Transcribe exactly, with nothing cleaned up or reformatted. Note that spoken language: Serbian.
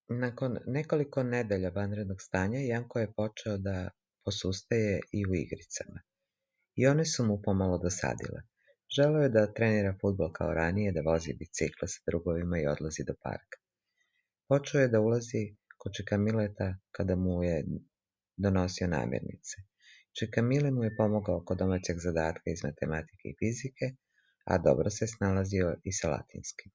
Nakon nekoliko nedelja vanrednog stanja, Janko je počeo da posustaje i u igricama. I one su mu pomalo dosadile. Želeo je da trenira fudbal kao ranije, da vozi bicikla sa drugovima i odlazi do parka. Počeo je da ulazi kod Čika Mileta kada mu je donosio namirnice. Čika Mile mu je pomogao kod domaćeg zadatka iz matematike i fizike, a dobro se snalazio i sa latinskim.